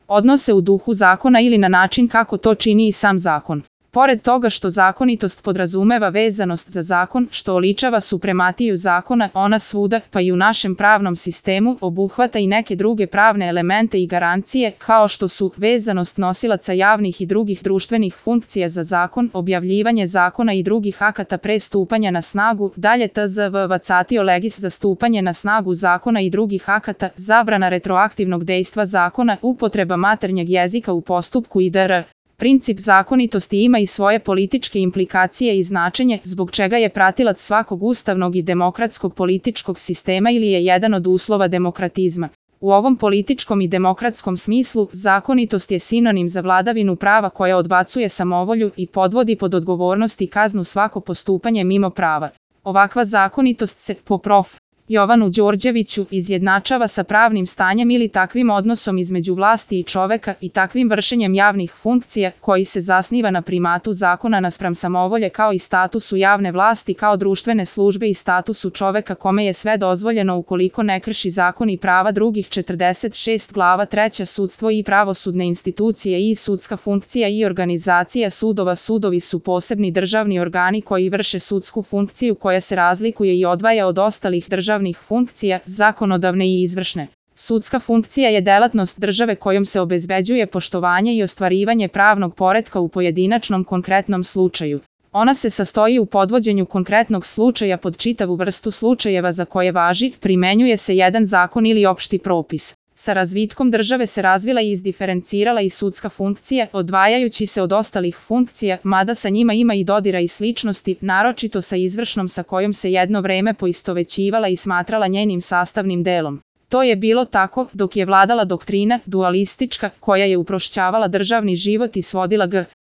odnose u duhu zakona ili na način kako to čini i sam zakon. Pored toga što zakonitost podrazumeva vezanost za zakon, što oličava suprematiju zakona, ona svuda, pa i u našem pravnom sistemu, obuhvata i neke druge pravne elemente i garancije, kao što su vezanost nosilaca javnih i drugih društvenih funkcija za zakon, objavljivanje zakona i drugih akata pre stupanja na snagu, dalje tzv. Vacatio legis za stupanje na snagu zakona i drugih akata, zabrana retroaktivnog dejstva zakona, upotreba maternjeg jezika u postupku itd. Princip zakonitosti ima i svoje političke implikacije i značenje, zbog čega je pratilac svakog ustavnog i demokratskog političkog sistema ili je jedan od uslova demokratizma. U ovom političkom i demokratskom smislu, zakonitost je sinonim za vladavinu prava koja odbacuje samovolju i podvodi pod odgovornost i kaznu svako postupanje mimo prava. Ovakva zakonitost se, po prof. Jovanu Đorđeviću, izjednačava sa pravnim stanjem ili takvim odnosom između vlasti i čoveka i takvim vršenjem javnih funkcija koji se zasniva na primatu zakona naspram samovolje kao i statusu javne vlasti kao društvene službe i statusu čoveka kome je sve dozvoljeno ukoliko ne krši zakon i prava drugih. 46 glava 3. Sudstvo i pravosudne institucije i sudska funkcija i organizacija sudova. Sudovi su posebni državni organi koji vrše sudsku funkciju koja se razlikuje i odvaja od ostalih državnih funkcija, zakonodavne i izvršne. Sudska funkcija je delatnost države kojom se obezbeđuje poštovanje i ostvarivanje pravnog poretka u pojedinačnom konkretnom slučaju. Ona se sastoji u podvođenju konkretnog slučaja pod čitavu vrstu slučajeva za koje važi, primenjuje se jedan zakon ili opšti propis. Sa razvitkom države se razvila i izdiferencirala i sudska funkcija, odvajajući se od ostalih funkcija, mada sa njima ima i dodira i sličnosti, naročito sa izvršnom sa kojom se jedno vreme poistovećivala i smatrala njenim sastavnim delom. To je bilo tako dok je vladala doktrina dualistička koja je uprošćavala državni život i svodila